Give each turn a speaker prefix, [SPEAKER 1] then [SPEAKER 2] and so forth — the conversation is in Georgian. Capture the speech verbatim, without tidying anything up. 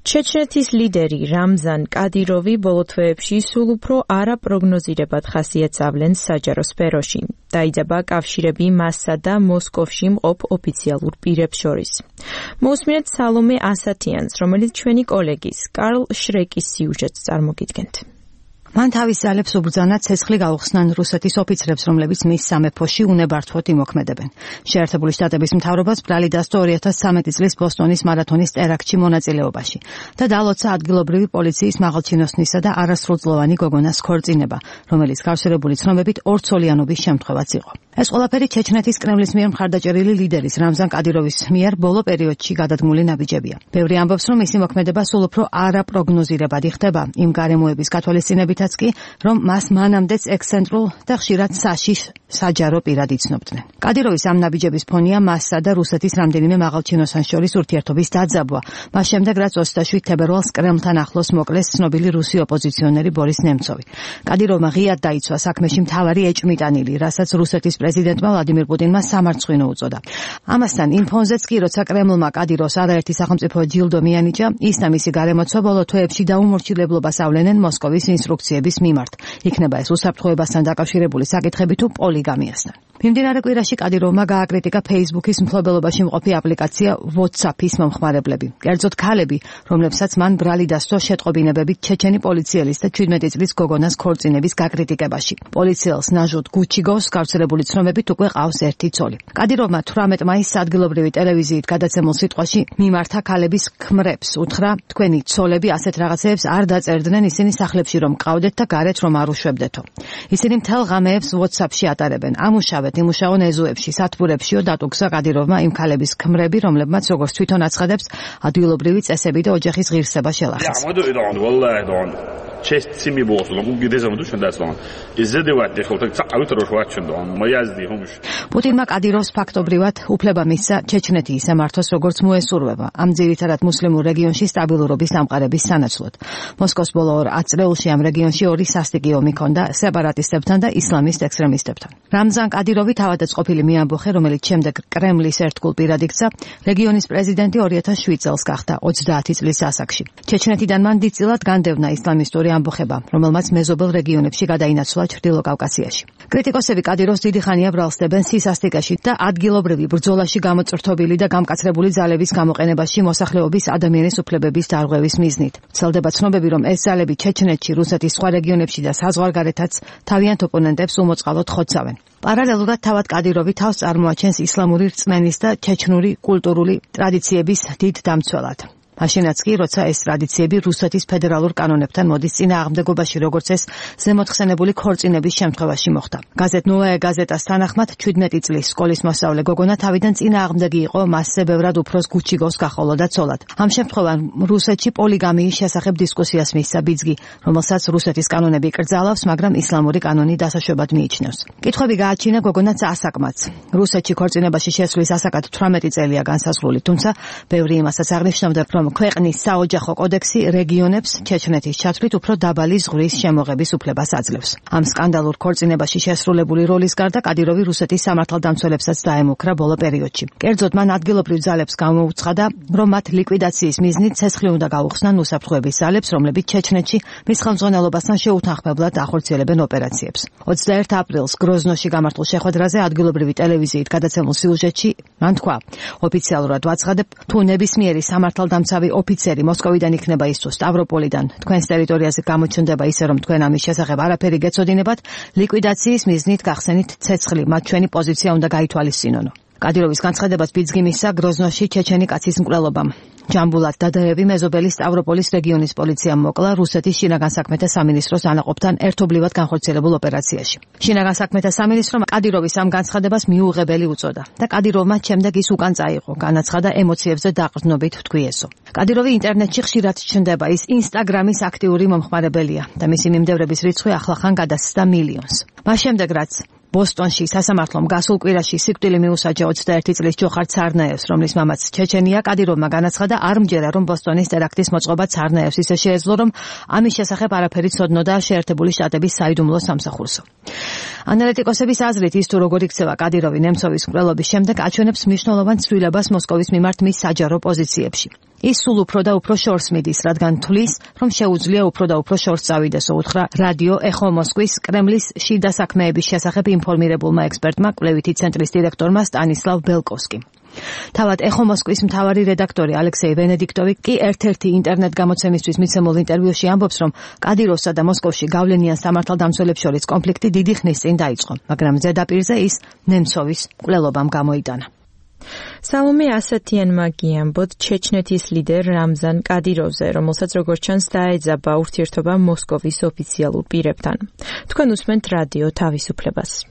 [SPEAKER 1] ჩეჩნეთის ლიდერი რამზან კადიროვი ბოლო თვეებში სულ უფრო არაპროგნოზირებად ხასიათს ავლენს საჯარო სფეროში. დაიძაბა კავშირები მასსა და მოსკოვში მყოფ ოფიციალურ პირებს შორის. მოусმინეთ სალომე ასათიანს, რომელიც ჩვენი კოლეგის კარლ შრეკის სიუჟეტს წარმოგიდგენთ.
[SPEAKER 2] მან თავის ძალებს უბრძანა ცეცხლი გაუხსნან რუსეთის ოფიცრებს, რომლებიც მის სამეფოში უნებართვოდ იმოქმედებენ. შეერთებული შტატების მთავრობას ბრალი დასდო ორი ათას ცხრამეტი წლის ბოსტონის მარათონის ტერაქტში მონაწილეობაში და დალოცა ადგილობრივი პოლიციის მაღალჩინოსნისა და არასრულწლოვანი გოგონას ქორწინება, რომელიც გავსერებული ცნობებით ორცოლიანობის შემთხვევაც იყო. ეს ყველაფერი ჩეჩნეთის კრემლის მიერ მხარდაჭერილი ლიდერის რამზან კადიროვის მიერ ბოლო პერიოდში გადადგმული ნაბიჯებია. ბევრი ამბობს, რომ მისი მოქმედება სულ უფრო არაპროგნოზირებადი ხდება იმ გარემოების გათვალისწინებით, კი, რომ მას მანამდეც ექსცენტრულ და ხშირად საშიშ საჯარო პირად იცნობდნენ. კადიროვის ამ ნაბიჯების ფონია მასსა და რუსეთის რამდენიმე მაღალჩინოსანს შორის ურთიერთობის დაძაბვა, მას შემდეგ რაც ოცდაშვიდ თებერვალს კრემლთან ახლოს მოკლეს ცნობილი რუსი ოპოზიციონერი ბორის ნემცოვი. კადიროვმა ღიად დაიცვა საქმეში მთავარი ეჭვმიტანილი, რასაც რუსეთის პრეზიდენტმა ვლადიმირ პუტინმა სამარცხვინო უწოდა. ამასთან იმ ფონზეც კი, როცა კრემლმა კადიროვს არაერთი სახელმწიფო ჯილდო მიანიჭა, ის და მისი გარემოცვა ბოლო თვეებში დაუმორჩილებლობას ავლენენ მოსკოვის ინსტრუქციების მიმართ. იქნება ეს უსაფრთხოებასთან დაკავშირებული საკითხები თუ პოლიგამიასთან. მიმდინარე კვირაში კადიროვმა გააკრიტიკა Facebook-ის მფლობელობაში მყოფი აპლიკაცია WhatsApp-ის მომხმარებლები. კერძოდ ქალები, რომლებსაც მან ბრალი დასდო შეტყობინებებით ჩეჩენი პოლიციელის და ჩვიდმეტი წლის გოგონას ქორწინების გაკრიტიკებაში. პოლიციელს ნაჟუდ გუჩიგოს გავრცელებული ცნობებით უკვე ყავს ერთი ცოლი. კადიროვმა თვრამეტ მაისს ადგილობრივი ტელევიზიით გადაცემულ სიტყვაში მიმართა ქალების ქმრებს, უთხრა, თქვენი ცოლები ასეთ რაღაცეებს არ დაწერდნენ, ისინი სახლებში რომ მყავდეთ და გარეთ რომ არ უშვებდეთო. ისინი მთელ ღამეებს WhatsApp-ში ატარებენ. ამუშავეთ იმუშაონ ეზოებში, სათბურებშიო დატუგზა კადიროვმა იმ ქალების ქმრები, რომლებმაც როგორც თვითონ აცხადებს, ადგილობრივი წესები და ოჯახის ღირსება შელახეს.
[SPEAKER 3] честь семьи было, но гуги дезам душ дастан. Изедევათ ეხლა და წავით რო ვაჩვენო, მოიაზდი ხომში.
[SPEAKER 2] პუტინმა კადიროვს ფაქტობრივად უფლება მისცა ჩეჩნეთი ისე მართოს, როგორც მოესურვება. ამ ძირითადად მუსლიმურ რეგიონში სტაბილურობის დამყარების სანაცვლოდ. მოსკოვს ბოლო ორ ათწლეულში ამ რეგიონში ორი სასტიკი ომი ჰქონდა სეპარატისტებთან და ისლამისტ ექსტრემისტებთან. რამზან კადიროვი თავადაც ყოფილი მეამბოხე, რომელიც შემდეგ კრემლის ერთგულ პირად იქცა, რეგიონის პრეზიდენტი ორი ათას შვიდ წელს გახდა ოცდაათი წლის ასაკში. ჩეჩნეთიდან მან დიდწილად განდევნა ისლამისტური ამბოხება, რომელმაც მეზობელ რეგიონებში გადაინაცვლა ჩრდილო კავკასიაში. კრიტიკოსები კადიროვს დიდი ხანია ბრალსდებენ სისასტიკეში და ადგილობრივი ბრძოლაში გამოწრთობილი და გამკაცრებული ძალების გამოყენებაში მოსახლეობის ადამიანის უფლებების დარღვევის მიზნით. ვრცელდება ცნობები, რომ ეს ძალები ჩეჩნეთში, რუსეთის სხვა რეგიონებში და საზღვარგარეთაც თავიანთ ოპონენტებს უმოწყალოდ ხოცავენ. პარალელურად თავად კადიროვი თავს წარმოაჩენს ისლამური რწმენის და ჩეჩნური კულტურული ტრადიციების დიდ დამცველად. მაშინაც კი, როცა ეს ტრადიციები რუსეთის ფედერალურ კანონებთან მოდის წინააღმდეგობაში, როგორც ეს ზემოთხსენებული ქორწინების შემთხვევაში მოხდა. გაზეთ ნოვაია გაზეტას თანახმად, ჩვიდმეტი წლის სკოლის მოსწავლე გოგონა თავიდან წინააღმდეგი იყო მასზე ბევრად უფროს გუჩიგოს გახოლოდა ცოლად. ამ შემთხვევამ რუსეთში პოლიგამიის შესახებ დისკუსიას მისცა ბიძგი, რომელსაც რუსეთის კანონები იკრძალავს, მაგრამ ისლამური კანონი დასაშვებად მიიჩნევს. კითხვები გააჩინა გოგონაც ასაკმაც. რუსეთში ქორწინებაში შესვლის ასაკად თვრამეტი წელია განსაზღვრული, თუმცა ბევრი იმასაც აღნიშნავდა, რომ ქვეყნის საოჯახო კოდექსი რეგიონებს ჩეჩნეთის ჩათვლით უფრო დაბალი ზღვრის შემოღების უფლებას აძლევს. ამ სკანდალურ ქორწინებაში შესრულებული როლის გარდა კადიროვი რუსეთის სამართალდამცველებსაც დაემუქრა ბოლო პერიოდში. კერძოდ მან ადგილობრივ ძალებს გამოუცხადა, რომ მათ ლიკვიდაციის მიზნით ცეცხლი უნდა გაუხსნან უსაფრთხოების ძალებს, რომლებიც ჩეჩნეთში მის ხელმძღვანელობასთან შეუთანხმებლად ახორციელებენ ოპერაციებს. ოცდაერთ აპრილს გროზნოში გამართულ შეხვედრაზე ადგილობრივი ტელევიზიით გადაცემულ სიუჟეტში მან თქვა, ოფიციალურად ვაცხადებ, თუ ნებისმიერი სამართალდამცავი ოფიცერი მოსკოვიდან იქნება ის თუ სტავროპოლიდან თქვენს ტერიტორიაზე გამოჩნდება ისე, რომ თქვენ ამის შესახებ არაფერი გეცოდინებათ, ლიკვიდაციის მიზნით გახსენით ცეცხლი, მათ ჩვენი პოზიცია უნდა გაითვალისწინონო. კადიროვის განცხადებას ბიძგი მისცა გროზნოში ჩეჩენი კაცის მკვლელობამ. ჯამბულატ დადაევი მეზობელი სტავროპოლის რეგიონის პოლიციამ მოკლა რუსეთის შინაგან საქმეთა სამინისტროს ანაყოფთან ერთობლივად განხორციელებულ ოპერაციაში. შინაგან საქმეთა სამინისტრომ კადიროვის ამ განცხადებას მიუღებელი უწოდა და კადიროვმა შემდეგ ის უკან წაიღო, განაცხადა ემოციებზე დაყრდნობით თქვი ესო. კადიროვი ინტერნეტში ხშირად ჩნდება, ის ინსტაგრამის აქტიური მომხმარებელია და მისი მიმდევრების რიცხვი ახლახან გადასცდა მილიონს. მას შემდეგ რაც ბოსტონში სასამართლომ გასულ კვირაში სიკვდილი მიუსაჯა ოცდაერთი წლის ჯოხარ ცარნაევს, რომლის მამაც ჩეჩენია, კადიროვმა განაცხადა, არ მჯერა, რომ ბოსტონის ტერაქტის მოწყობა ცარნაევს ისე შეეძლო, რომ ამის შესახებ არაფერი ცოდნოდა შეერთებული შტატების საიდუმლო სამსახურსო. ანალიტიკოსების აზრით, ის თუ როგორ იქცევა კადიროვი ნემცოვის მკვლელობის შემდეგ, აჩვენებს მნიშვნელოვან ცვლილებას მოსკოვის მიმართ მის საჯარო პოზიციებში. ის სულ უფრო და უფრო შორს მიდის, რადგან თვლის, რომ შეუძლია უფრო და უფრო შორს წავიდეს, უთხრა რადიო ეხო მოსკვის კრემლის შიდა საქმეების შესახებ ინფორმირებულმა ექსპერტმა, კვლევითი ცენტრის დირექტორმა სტანისლავ ბელკოვსკიმ. თავად ეხო მოსკვის მთავარი რედაქტორი ალექსეი ვენედიქტოვი კი ერთ-ერთი ინტერნეტ გამოცემისთვის მიცემულ ინტერვიუში ამბობს, რომ კადიროვსა და მოსკოვში გავლენიან სამართალდამცველებს შორის კონფლიქტი დიდი ხნის წინ დაიწყო, მაგრამ ზედაპირზე ის ნემცოვის მკვლელობამ გამოიტანა.
[SPEAKER 1] სალომე ასათიანმა გიამბოთ ჩეჩნეთის ლიდერ რამზან კადიროვზე, რომელსაც როგორც ჩანს დაეძაბა ურთიერთობა მოსკოვის ოფიციალურ პირებთან. თქვენ უსმენთ რადიო თავისუფლებას.